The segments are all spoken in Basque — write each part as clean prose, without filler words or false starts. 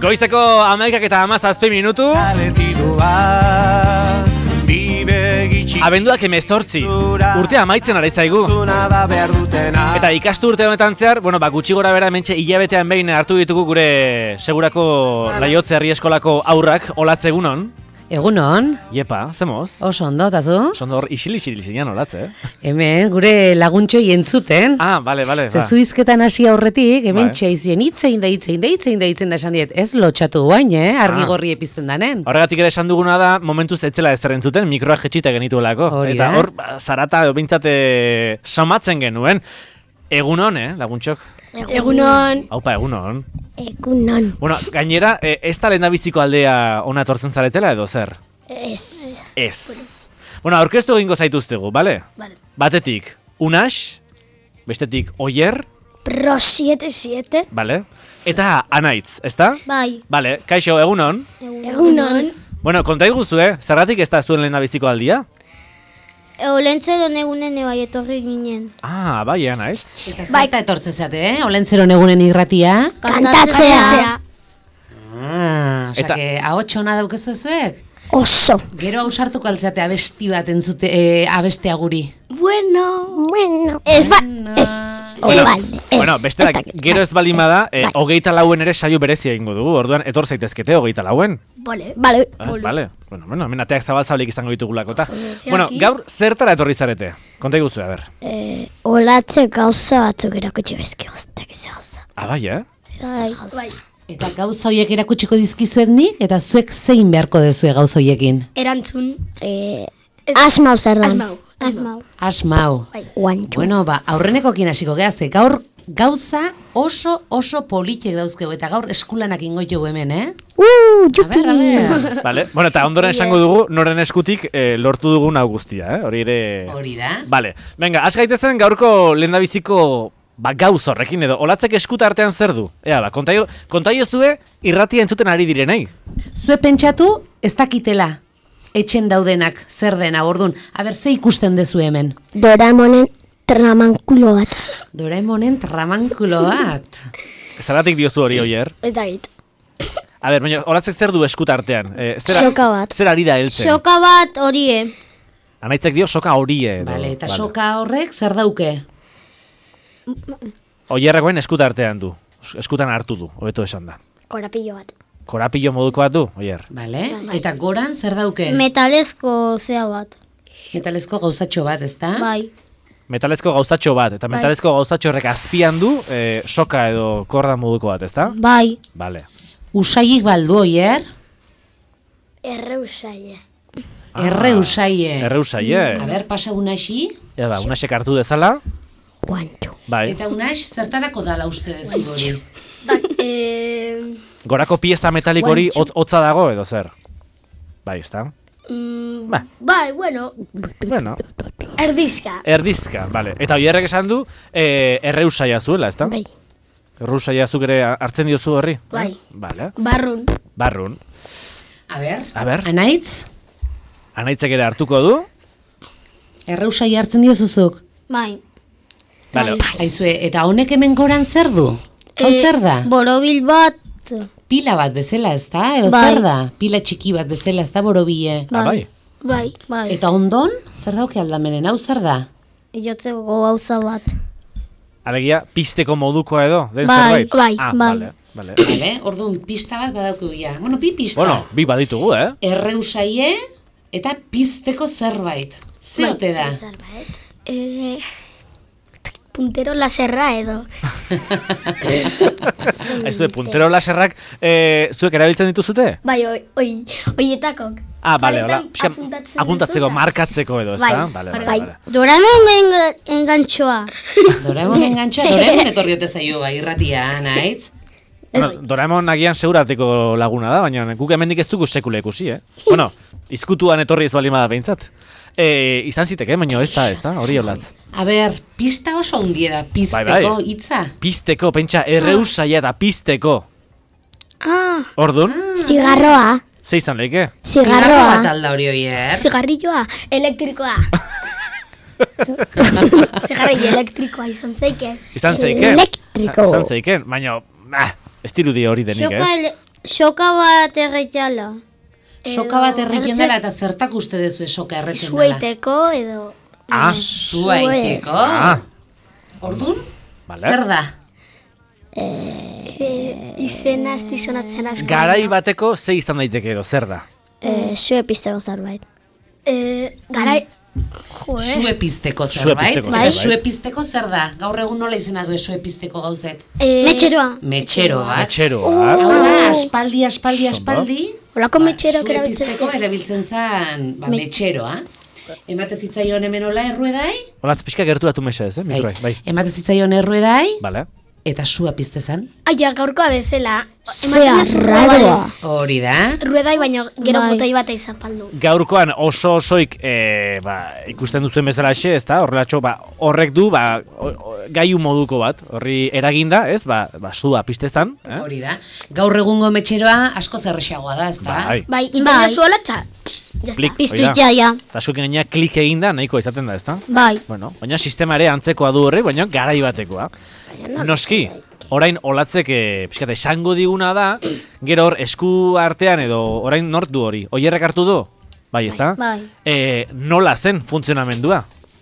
Goizteko 11:17 minutu. Abenduak 18. Urtea amaitzen ari zaigu. Eta ikasturte honetan zehar, gutxi gora bera hementxe hilabetean behin hartu ditugu gure segurako Laiotze Herri Eskolako haurrak olatze egunon. Egunon. Iepa, zemoz? Oso ondo, eta zu? Oso ondo hor isil zinean olatze, Hemen, gure laguntxoi entzuten. Bale. Zezu izketan hasi aurretik, hemen txaizien hitzein da esan diet. Ez lotxatu guain, argi gorri epizten danen. Horregatik ere esan duguna da, momentuz etzela ezer entzuten, mikroa jetxita genituelako. Eta hor, zarata bintzate somatzen genuen. Egunon, laguntxok? Egunon. Haupa, egunon. Egunon. Gainera, ez da lehendabiziko aldea ona etortzen zaretela edo zer? Ez. Aurkeztu egingo zaituztegu, bale? Bale. Batetik, Unax, bestetik, Oier. Pro 77. Bale. Eta Anaitz, ezta? Bai. Bale, kaixo, egunon. Egunon. Konta iguzu, zergatik ez da zuen lehendabiziko aldia? Olentzeron egunen bai etorri ginen. Bai, Anaiz. Eta zerta etortze zate, Olentzeron egunen irratia? Kantatzea. Osake, ahotxona daukezu zuek? Oso. Gero ausartuko altzate abesti bat entzute, abestea guri. Bueno. Besteak, gero ez baldin bada, 24 ere saio berezia egingo dugu, orduan etor zaitezkete 24. Bale. Hemen ateak zabalik izango ditugulako, eta. Gaur, zertara etorri zarete? Konta iguzu, a ber. Olatze gauza batzuk erakutsi bezki goztak izan. Bai, Bai. Eta gauza horiek erakutsiko dizkizuet nik, eta zuek zein beharko dezue gauza horiekin? Erantzun. Asmau zer dan. Asmau. Guantxuz. Aurrenekokin hasiko gehaze, gaur gauza oso politek dauzkegu, eta gaur eskulanak ingoitugu hemen, Jupi. A ber. Vale. Eta ondoren esango dugu, noren eskutik lortu dugun hau guztia, Hori ere... Hori da. Vale. Venga, has gaitezen gaurko lehendabiziko gauz horrekin edo, olatzek eskuta artean zer du? Kontaio zue irratia entzuten ari direnei. Zue pentsatu ez dakitela etxen daudenak zer dena, ordun. Aber, ze ikusten dezu hemen? Doraemonen tramankulo bat. Doraemonen tramankulo bat. Zergatik diozu hori, Oier? Ez dakit. A ber, olatzek zer du eskuta artean? Soka bat. Zer ari da heltzen? Soka bat horie. Anaitzek dio soka horie. Vale, eta soka horrek zer dauke? Oierrekoen eskuta artean du. Eskutan hartu du, hobeto esan da. Korapillo bat. Korapillo moduko bat du, Oier. Vale, eta goran zer dauke? Metalezko zea bat. Metalezko gauzatxo bat, ezta? Bai. Metalezko gauzatxo bat, eta metalezko gauzatxo horrek azpian du soka edo korda moduko bat, ezta? Bai. Vale. Usaiik baldu, Oier? Erreusaie. Erreusaie. A ber, pasa Unaxi? Unaxek hartu dezala. Guantxo. Bai. Eta Unax, zertarako dala uste dezu hori? Gorako pieza metalik hori hotza dago edo zer? Bai, ezta? Bai, bueno. Erdizka. Vale. Eta Oierrek esan du, erreusaia zuela, ezta? Bai. Erreusaia zuk ere hartzen diozu horri? Bai. Vale. Barrun. A ber. Anaitz? Anaitzek ere hartuko du? Erreusai hartzen diozuzuk? Bai. Vale. Aizue, eta honek hemen goran zer du? Hau zer da? Borobil bat. Pila bat bezala, ez da? Edo zer da? Pila txiki bat bezala, ez da borobile? Bai. Eta ondon, zer dauke aldamenen, hau zer da? Iotzeko gauza bat. Alegia, pisteko modukoa edo? Bai. Vale. Orduan, pista bat badauko ja. Bueno, bi pista. Bueno, bi baditugu, Erreusaie eta pizteko zerbait. Ze ote da? Puntero laserra edo. Aizu, puntero laserrak zuek erabiltzen dituzute? Bai, oietakok. Bale, hola. Apuntatzeko, markatzeko edo, ez da? Bai. Doraemon engantxoa. Doraemon etorriote zaio bai irratia, Anaitz? Doraemon agian segurateko laguna da, baina guk hemendik ez dugu sekule ikusi, Bueno, izkutuan etorri ez balima da behintzat. Izan ziteke, baina ez da, hori olatz. A ber, pista oso hundie da, pizteko hitza. Pizteko, pentsa, erreusaia da pizteko. Ordun? Zigarroa. Ze izan lehike? Zigarroa. Bat alda hori, Oier? Zigarrilloa, elektrikoa. Zegarri elektrikoa izan zeiken. Izan zeiken? Elektriko. Izan zeiken, baina, ez dirudi hori denik, ez? Soka bat erretxala. Soka bat erriten dela eta zertak uste dezu soka erreten dela? Sueiteko edo... Suaiteko. Ordun? Vale. Zer da? Izena ez dizonatzen asko. Garai bateko ze izan daiteke edo, zer da? Zue pizteko zerbait. Garai... Sue pizteko zerbait? Sue pizteko Bai, zerbait. sue pizteko zer da? Gaur egun nola izena du sue pizteko gauzek? Metxeroa. Metxero bat. Metxero, Hau da, aspaldi. Olako metxeroak sue erabiltzen pizteko zen. erabiltzen zen metxeroa. Emate zitzaion hemen hola erruedai? Olatz pixka gerturatu mesa ez, mikroa, bai. Emate zitzaion erruedai, Vale. eta sua pizte zen. Aia, gaurkoa bezala. Zea raroa. Hori da. Ruedai baino gero Bai. botoi bat izapaldu. Gaurkoan osoik ikusten duzuen bezalaxe, ez da? Horrelatxo, horrek du, gaiu moduko bat, horri eraginda, ez? Sua piztezan, Hori da. Gaur egungo metxeroa asko zerrexagoa da, ez da? Bai. Bai, inbena zuela txa. Klik, Piztu hori da. jaia. Eta zuekin gaina klik eginda nahikoa izaten da, ez da? Bai. Bueno, baina sistema ere antzekoa du horri, baina garai batekoa. Noski, orain olatzek pixkate esango diguna da, gero hor esku artean edo orain nort du hori. Oierrek hartu du? Bai, ez da? Bai. Nola zen funtzionamendua?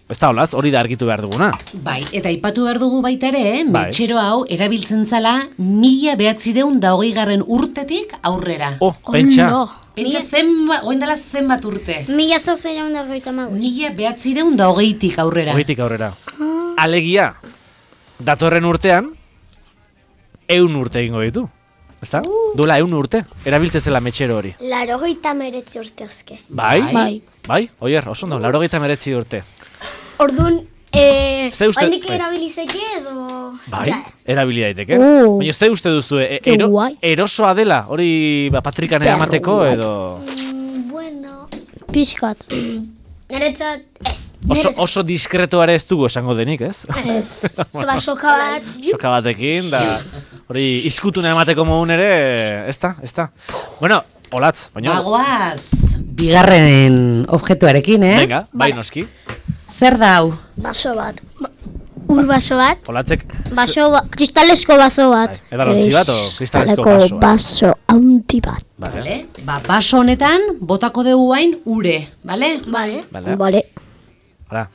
Ez da olatz, hori da argitu behar duguna. Bai, eta aipatu behar dugu baita ere, Bai. metxero hau erabiltzen zala 1920 urtetik aurrera. Pentsa. Pentsa oin dela zenbat urte? 1995. 1920tik aurrera. Horitik aurrera. Alegia, datorren urtean, 100 urte egingo ditu. Ezta? Duela 100 urte, erabiltzen zela metxero hori. 89 urte oske. Bai? Bai, oier, oso ondo, 89 urte. Orduan, Ze uste- oindik bai. erabilizeke edo... Bai, Ja. erabili daiteke. Baina ze uste duzu, Ke guai. erosoa dela, hori patrikan eramateko edo... Bueno, Pixkat. niretzat ez. Oso diskretoare ez dugu esango denik, ez? Ez. Zoba soka bat. Soka batekin, da hori izkutuna emateko modun ere, ez da? Bueno, olatz, baina... Bagoaz, bigarren objektuarekin, Venga, bai noski. Zer da hau? Baso bat. Ur baso bat. Olatzek, Kristalesko baso bat. Bai, edalontzi bat o kristalesko Kristaleko basoa? baso handi bat. Vale, Baso honetan botako dugu hain ure, bale? Vale. vale. Bale. Hala,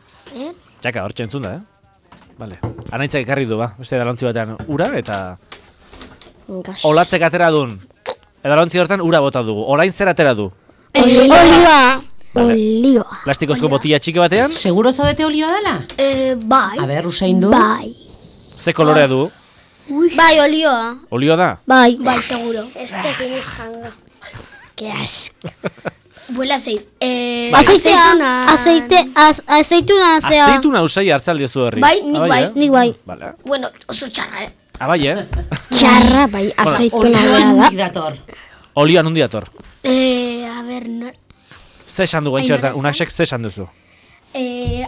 txaka, hor txentzun da, Vale, anaitzak ekarri du, beste edalontzi batean ura, eta olatzek atera dun. Edalontzi hortan ura bota dugu, orain zer atera du? Olioa. Olioa. Plastikozko botila txiki batean, Seguro zaudete olioa dela? Bai. A ber, usain du? Bai. ze kolorea du? Bai, olioa. Olio da? Bai. Bai, seguro. Ez da tienes janga. Que asco. Huele aceite. Aceituna zea. Azeituna usai hartzaldi zu horri. Bai, nik bai. Nik bai. Vale. Bueno, oso txarra, Bai, Txarra bai. Aceituna Olioa bera da. nundik dator. Olioa nundi dator. A ber, Ze esan dugu entxe bertan, unaxek ze esan duzu?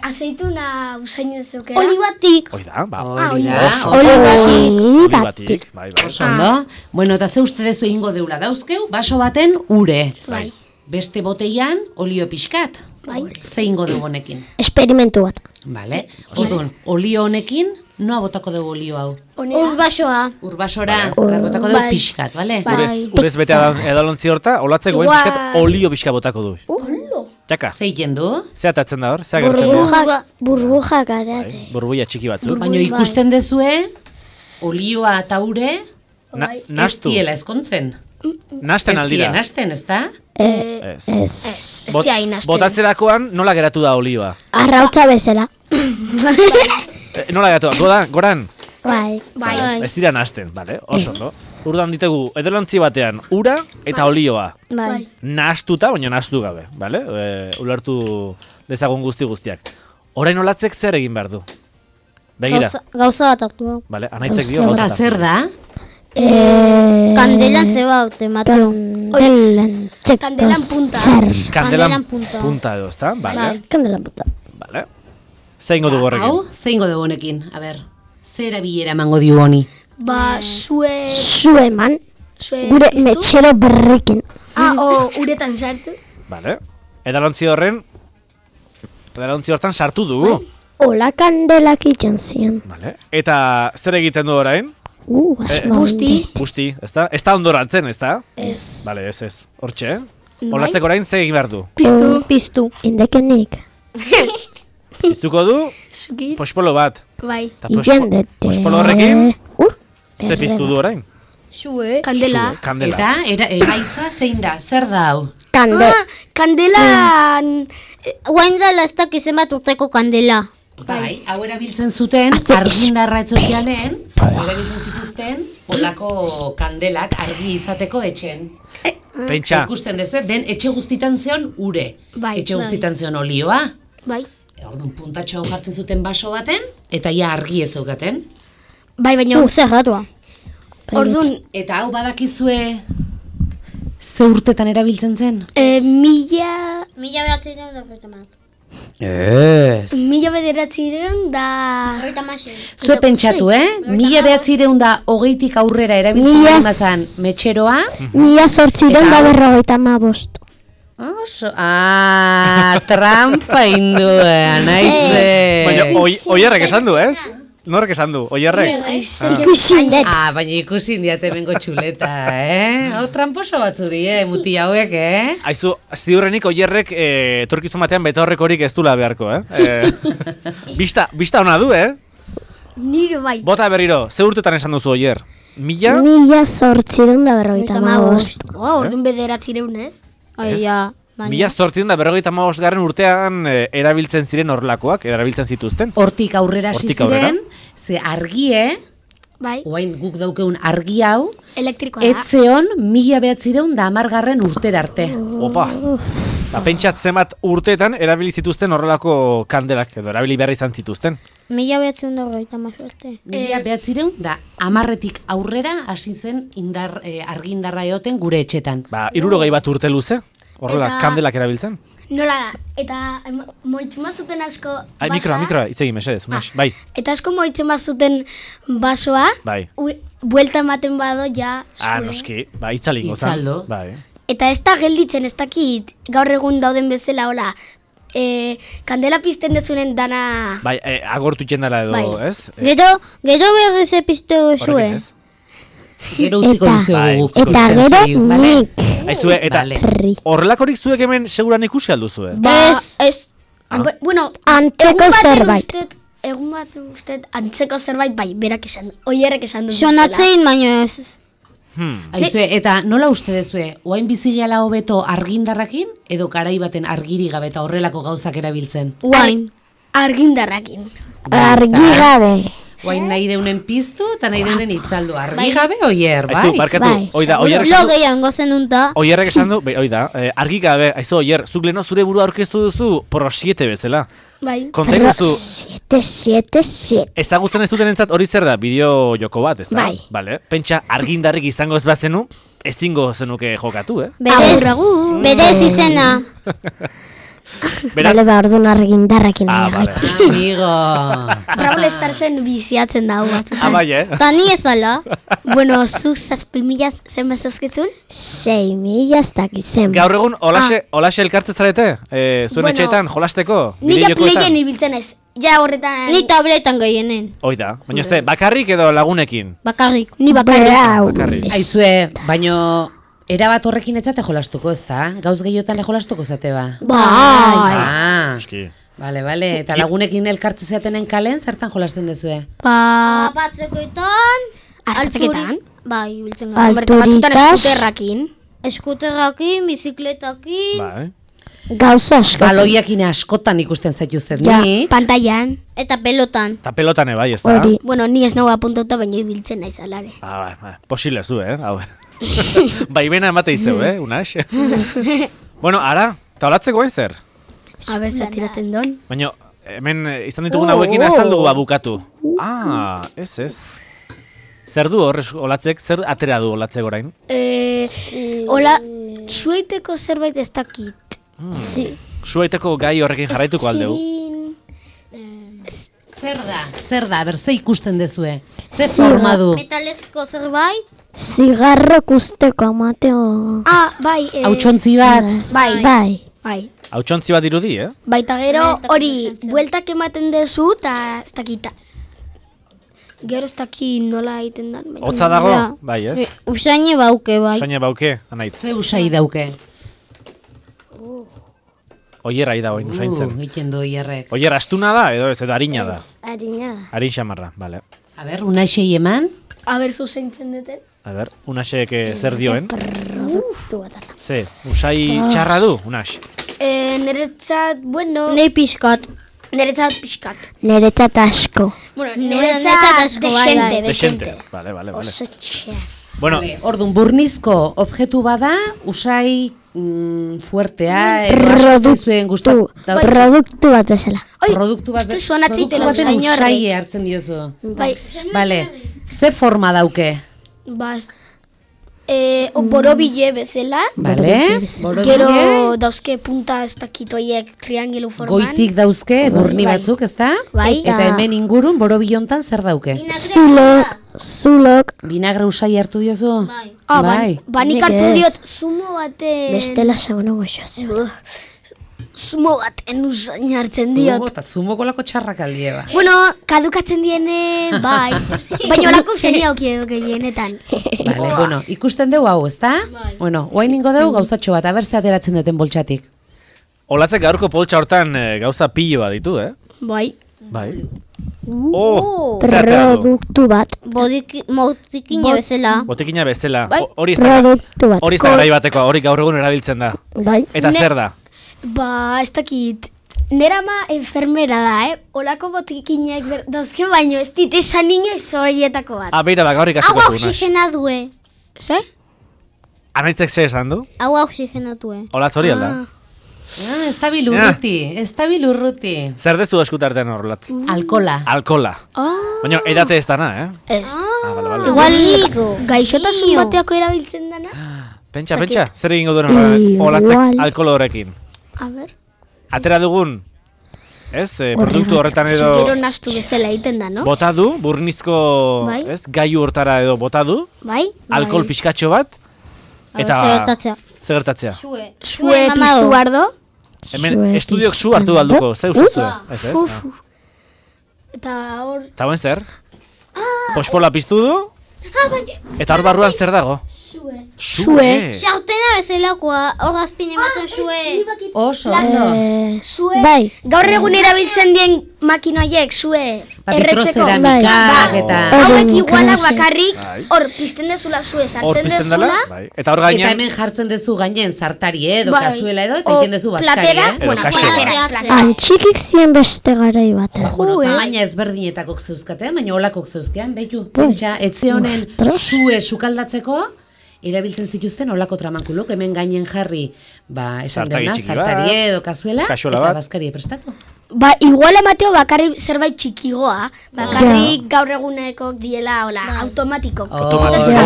aceituna usain dezukera. Olibatik. Hoi da, Hori da, oso. Olibatik. Bai, oso ondo. Bueno, eta ze uste dezu egingo deula dauzkeu, baso baten ure. Bai. Beste boteian olio pixkat. Bai. Ze ingo dugu honekin. Esperimentu bat. Vale. Orduan, olio honekin, noa botako dugu olio hau? Ur basoa. Urbasora, botako dugu Bai. pixkat, bale? Urez bete edalontzi horta, olatzek goen Igual. pixkat olio pixka botako du. Txaka, Ze du? ze atatzen da hor? Ze agertzen da? Burbujak atate. Burbuia txiki batzu. Baina ikusten dezue, olioa eta ure, ez Nastu, diela ezkontzen. nasten Ez aldira. dira nasten, ez da? Ez. Ez. Ez dia inazten. Botatzerakoan nola geratu da olioa? Arrautza bezala. Nola geratu da? Goran? Bai. Bai. Ez dira nasten, bale? Oso, no? Urdan ditegu, edalontzi batean, ura eta olioa. Bai. Nahastuta, baina nahastu gabe, bale? Ulertu dezagun guztiak. Orain olatzek zer egin behar du? Begira, Gauza bat hartu. bale? Anaitzek dio Eta gauza. zer da? Kandelan zeba autematu. Kandelan. Kandelan punta. Zer. Kandelan punta. punta edo, ezta? Bale, Kandelan punta. bale. Zein godu horrekin? Hau, ze ingo dugu honekin? A ber, zer erabilera emango dio honi? Ba, zue Zueman. Gure piztu. metxero berrekin. O uretan sartu. Bale. Edalontzi horren Edalontzi hortan sartu dugu. Ola kandelak itxan zian. Vale. Eta zer egiten du orain? Busti. ezta? Ez da ondoratzen, ezta? Ez. Vale, ez. Hortxe, Olatzeko orain zer egin behar du? Piztu. Indekenik. Piztuko du, Zukit. pospolo bat. Bai. Eta Ikendete. pospolo horrekin, ze piztu du orain? Zue. Kandela. Kandela. Eta emaitza zein da, zer da hau? Kandelan... Guain dela ez dakiz zenbat urteko kandela. Bai, hau erabiltzen zuten, argindarra etzokianen, erabiltzen zituzten, olako kandelak argi izateko etxen. Pentsa, Ikusten dezu, den etxe guztitan zeon ure. Bai, Etxe guztitan zeon olioa. Bai. Orduan puntatxo hau jartzen zuten baso baten, eta ja argi ez zeukaten. Bai, baina... Zer ratua. Orduan, Eta hau badakizue ze urtetan erabiltzen zen? mila... Mila behatzen da horreta mat. Mila bederatzireun da... Horreta masen. Zue pentsatu, 1920tik aurrera erabiltzen Mila mazan metxeroa. Mila sortziren da 55. Bai. Trampa indua, naize. baina oierrek esan du, ez? Norrek esan du, oierrek? Ikusin dut. Baina ikusi indiate bengo txuleta, Hau tramposo batzu die, muti hauek, Aizu, ziurrenik oierrek etorkizun batean beta horrekorik ez dula beharko, Bista ona du, Niro bai. Bota berriro, ze urtetan esan duzu oier? Mila? Mila sortziren da 55. Orduan bederatzireun ez? Aia. Mila 855 garren urtean erabiltzen ziren horrelakoak, erabiltzen zituzten. Hortik aurrera hasi Hortik aurrera. ziren, ze argie, Bai. oain guk daukeun argi hau, Elektrikoa da. etzeon 1910 urtera arte. Opa! Pentsat zenbat urteetan erabili zituzten horrelako kandelak, edo erabili behar izan zituzten. Mila behatzen da horreta mazuerte. 1910tik aurrera hasi zen argindarra egoten gure etxetan. 60 urte luze, horrela Eta- kandelak erabiltzen. Nola da, eta moitzen bazuten asko Ai, basoa. mikroa, hitz egin mesedez, bai, Eta asko moitzen bazuten basoa, bai. buelta ematen bado ja zue. Noski, itzalingo zan. Itzaldo. Bai. Eta ez da gelditzen, ez dakit gaur egun dauden bezala, hola, kandela pizten dezunen dana... Bai, agortu txendara edo, Bai. ez? Gero berriz epiztu Horrekin zue. ez? Gero utziko Eta- dizuegu guk. Eta ikusten gero zaigu, bale? nik. Aizue, eta Vale. horrelakorik zuek hemen seguran ikusi alduzue? Ez. Bueno, Antzeko zerbait. Egun bat usted antzeko zerbait, bai, berak esan du. Oierrek esan du. Sonatzein baino ez. Aizue, eta nola uste dezue, oain bizigiala hobeto argindarrakin, edo garai baten argiri gabe eta horrelako gauzak erabiltzen? Guain. Argindarrakin. Argi gabe. Oain nahi deunen piztu eta nahi deunen itzaldu. Argi gabe oier, Aizu, bai? barkatu, bai. oierrek Lo esan du, gehiago gozen dunta. oierrek esan du, argi gabe, aizu oier, zuk leno zure burua aurkeztu duzu pro 7 bezala. Bai. Konta Pro duzu, 777. ezagutzen ez duten entzat hori zer da, bideo joko bat, ez da? Bai. Vale. Pentsa, argindarrik izango ez bazenu, ezingo zenuke jokatu, Berez izena. Beraz, Bale, orduan argindarrekin vale. Amigo. Brawl Starsen biziatzen dago batzutan. bai, Ta ni ez ala. Bueno, zuk 7.000 zenbat zozkitzun? 6.000 ez dakitzen. gaur egun olaxe elkartzen zarete? Zuen Bueno, etxeetan, jolasteko? Nik Bideojokoetan? playen ibiltzen ez. Ja horretan... Ni tabletan gehienen. Hoi da, baina ez bakarrik edo lagunekin? Bakarrik. Ni bakarrik. Brau. Bakarrik. Aizue, baino erabat horrekin etzate jolastuko, ez da? Gauz gehiotan jolastuko zate ba? Bai. Eski. Bale, eta lagunekin elkartze zeatenen kalen, zertan jolasten dezue? Batzekoetan. Artzeketan? Bai, biltzen gara. Batzutan Alturitas. eskuterrakin. Eskuterrakin, bizikletakin. Bai. Gauza asko. Baloiakin askotan ikusten zaituztet, Ja. ni? Pantailan. Eta pelotan. Ta pelotan bai, ez da? Hori. Bueno, ni ez nago apuntauta, baina ibiltzen naiz alare. Bai, posible zu, hau. Baimena emate izeu, unax? Bueno, ara, taulatzeko hain zer? Aber, zatiratzen don. Baina, hemen izan ditugun hauekin azaldu bukatu. Ez. Zer du horrez olatzek, zer atera du olatzek orain? Hola, zueiteko zerbait ez dakit. Zuaiteko gai horrekin jarraituko aldeu. Zer da, berze ikusten dezue? Zer Ziga. forma du? Metalezko zerbait. Zigarro kusteko amateo. Bai. Hautsontzi bat? Bai. Bai. Bai. Hautsontzi bat dirudi, Baita gero hori bueltak ematen dezu eta ez dakita. Gero ez daki nola egiten dan. Hotza dago? Ja. Bai, ez? Usaini bauke, bai. Usaina bauke, anaitz. Ze usai dauke? Oierra da oin usaintzen. Egiten du hierrek. Oier astuna da, edo ez, edo harina da. Harina da. Harin xamarra, bale. A ber, unaxei eman? Aber zuzentzen duten. A ber, unasek zer dioen? Produktu bat ara. Ze, usai txarra du, unas? Niretzat, bueno... Nei pixkat. Niretzat pixkat. Niretzat asko. Bueno, niretzat niretzat asko, bai, bai. Desente. Vale. Oso txar. Bueno, Ordun burnizko objektu bada, usai fuertea, edo asko zuen gustatu. Produktu bat bezala. Produktu bat, uste sonatzitela produktu baten usain horrek. usai hartzen diozu. Bai, Vale, ze forma dauke? bas... borobile bezala. Vale, Gero dauzke punta ez dakitoiek triangelu forman. goitik dauzke burni batzuk, ezta? Bai. Eta hemen ingurun borobilontan zer dauke? Zulok. Vinagre usai hartu diozu? Bai. Bai. Banik Nik hartu ez. diot zumo baten... Bestela sabono goxoz. Zumo baten usain hartzen diot. Eta zumoko lako txarrak aldie ba. Bueno, kadukatzen diene, bai. Baina olako zenia okie gehienetan. Vale, bueno, ikusten dugu hau, ezta? Bueno, oain ningo dugu gauzatxo bat, aber ze ateratzen duten boltsatik. olatzek gaurko poltsa hortan gauza pilo bat ditu, Bai. Bai. Oh, zer atera du? Produktu bat. Motikina bezala. Botekina bezala. Bai. Hori ez da, Produktu bat. hori ez da garai batekoa, hori gaur egun erabiltzen da. Bai. Eta zer da? Ba, ez dakit. Nera ama enfermera da, Olako botikinak dauzke baino, ez dit esan inoiz horietako bat. Ah, beira da, gaur Hau ikasiko zu, Unas. oxigena due. Ze? Anaitzek ze esan du? Hau oxigena due. Olatz hori alda? Ez da bilurruti, ez da bilurruti. Zer dezu eskutartean hor, Olatz? Alkola. Alkola. Baina edate ez dana, Ez. Ah, bale. Igual gaixotasun bateako erabiltzen dana. Pentsa, zer egingo duen Olatzek Igual. alkohol horrekin? A ber. Atera dugun, ez, produktu horretan edo Gero nastu bezala egiten da, no? bota du, burnizko, Bai. ez, gaiu hortara edo bota du, Bai? alkohol pixkatxo bat, eta Zertatzea. zer gertatzea. Sue mama piztu du. bardo. Hemen Zue estudiok zu hartu balduko, ze usuzue, ez ez? Uf. Ah. Eta hor... Eta buen zer? Pospola piztu du, eta hor barruan zer dago? Sue. Xautena bezalakoa, hor azpin ematen zue. Oso, ondo. Sue... Bai. Gaur egun erabiltzen dien makinoiek, sue... Vitroceramikak eta... Hauek igualak Bai. bakarrik, Bai. hor pizten dezula sue, Hor sartzen pizten dela, dezula... bai. Eta hor Eta gainean, hemen jartzen dezu gainen zartari edo Bai. kazuela edo, eta O egiten dezu bazkari, platera, Edo bueno, kaxera. platera. Antxikik zien beste garai batean. Bueno, tamaina ezberdinetakok zeuzkatean, baina olakok zeuzkean, behitu, Bai. pentsa, etxe honen Ostras. sue sukaldatzeko, erabiltzen zituzten olako tramankulok, hemen gainen jarri, ba, esan Zartari deuna, txiki bat, zartari edo kazuela, kaxola eta bat. bazkari prestatu. Ba, igual emateo bakarrik zerbait txikigoa, bakarrik gaur egunekok diela, hola, automatiko. Hori da.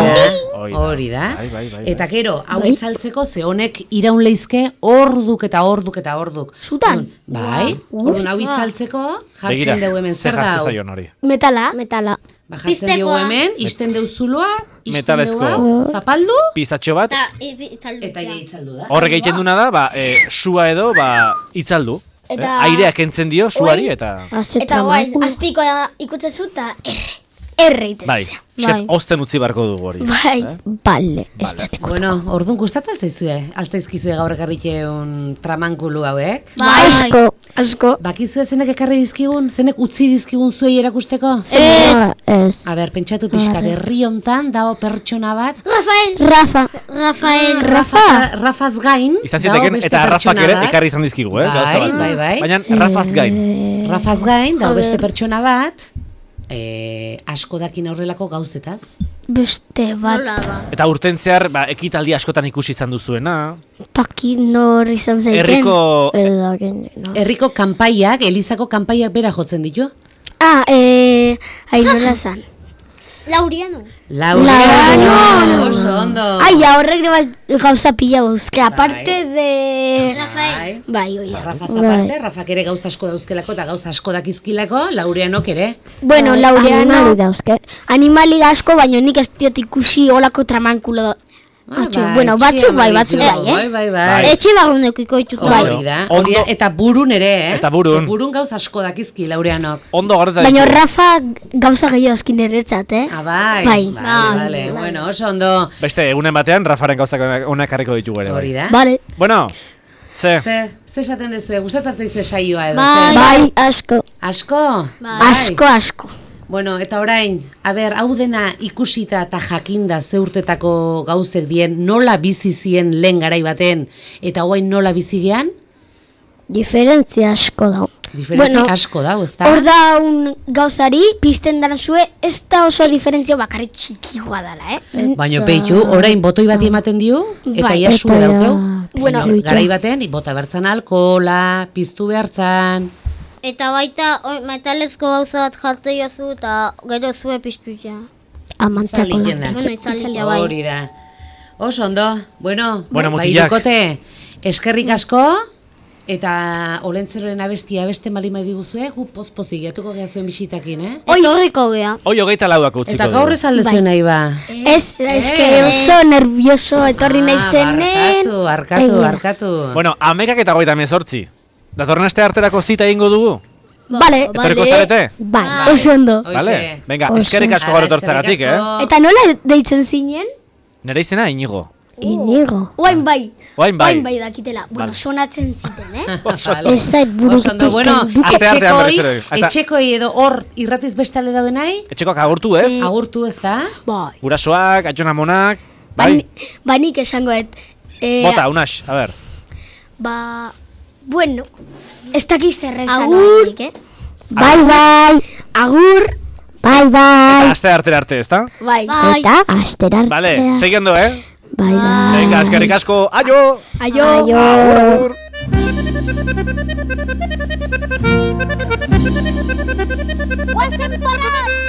Hori da. Bai. Eta gero, hau itzaltzeko, ze honek iraun leizke orduk eta orduk eta orduk. Zutan? Bai, orduan hau itzaltzeko, Begira, jartzen dugu hemen zer zer da jartzen hau. zaion hori. Metala. Metala. Ba, jartzen dugu Piztekoa. hemen, isten deu zuloa, isten Metalezko. deu hau, zapaldu, Pizatxo bat, eta ja itzaldu da. horrek egiten duna da, ba, sua edo, ba, itzaldu. Eta- Aireak entzen dio suari eta... Eta guain, azpiko ikutzen zu, eta erre iten Bai, zea. esket, osten utzi barko dugu hori. Bai. Bale, ez datiko. Bueno, orduan gustatu altzaizkizue gaur ekarrikeun tramankulu hauek. Asko. Asko. Bakizue zenek ekarri dizkigun, zenek utzi dizkigun zuei erakusteko? Ez. A ber, pentsatu pixka, herri hontan dago pertsona bat, Rafaz gain, Izan dago ziteken, beste eta Rafak pertsona ere bat. ekarri izan dizkigu, Bai, gauza batzu. bai. Baina Rafaz gain. Rafaz gain, dago beste pertsona bat, asko dakin aurrelako gauzetaz. Beste bat. Eta urtentzear, ba, ekitaldi askotan ikusi izan duzuena. Taki nor izan zeiken. Herriko Herriko kanpaiak, Elizako kanpaiak bera jotzen ditu. Ainola zan. Lauriano. Lauriano, oso ondo. Ai, horrek gauza pila buzke, aparte de... Bai. Bai, oi. Rafaz aparte, Rafak ere gauza asko dauzkelako eta gauza asko dakizkilako, Laurianok ere. Bueno, Laureano... Animali dauzke. Animali asko, baina nik ez diot ikusi olako tramankulo Bueno, batzuk bai, batzuk bai, Bai. Etxe lagunekiko dituko. Hori da, eta burun ere, Eta burun. Burun gauz asko dakizki, Laureanok. Ondo garreta Baina Rafa gauza gehiago eskin eretzat, Bai. Bai. Vale. Bueno, oso ondo. Beste, egunen batean, Rafaren gauzak onak harriko ditugu ere. Hori da. Bale. Bueno, ze Ze esaten dezue, gustatzen dizue saioa edo? Bai. Bai, asko. Asko? Asko. Bueno, eta orain, hau dena ikusita eta jakinda ze urtetako gauzek dien, nola bizi zien lehen garai baten, eta orain nola bizi gean? Diferentzia asko da. Diferentzia asko da, ezta? Hor da un gauzari, pizten dara zue, ez da oso diferentzia bakarri txikigoa dela, Baina peitu, orain botoi bat ematen dio, eta Bai. ia zue daukeu. Bueno, Garai baten, bota bertzan alkohola, piztu behartzan. Eta baita metalezko gauza bat jarte jozu eta gero zue piztuia. Amantzako Zalitzen da. Bueno, itzalitia bai. Hori da. Oso ondo, bueno, mutilak. irukote, eskerrik asko, eta olentzeroren abestia beste malima diguzue, gu poz-pozik jatuko gea zuen bisitakin, Etorriko gea. Hoi 24 utziko Eta gaur ez alde zuen nahi ba. Ez, eske oso nervioso etorri nahi zenen. Barkatu. Bueno, 11 eta 38. Datorren aste arterako zita egingo dugu? Bale. Etorriko zarete? Bai, oso ondo. Vale, venga, eskerrik asko gaur etortzagatik, Eta nola deitzen zinen? Nere izena Inigo. Inigo. Oain bai. Oain bai. dakitela. Bueno, sonatzen ziten, Ez zait burukitik Bueno, Aste artean berriz ere. Eta- etxekoi edo hor irratiz bestalde dauden nahi? Etxekoak agurtu, ez? Agurtu ez da? Bai. Gurasoak, atxona monak. Bai. Ba nik esango Bota, Unax, a ber. Bueno, ez dakiz zer esan. Agur. Bai. Agur. Bai. Aste artera arte, ezta? Bai. Eta asterartea. Vale, seguindo, Bai. Venga, eskerrik asko. Aio! Aio. Agur! Guazen porraz!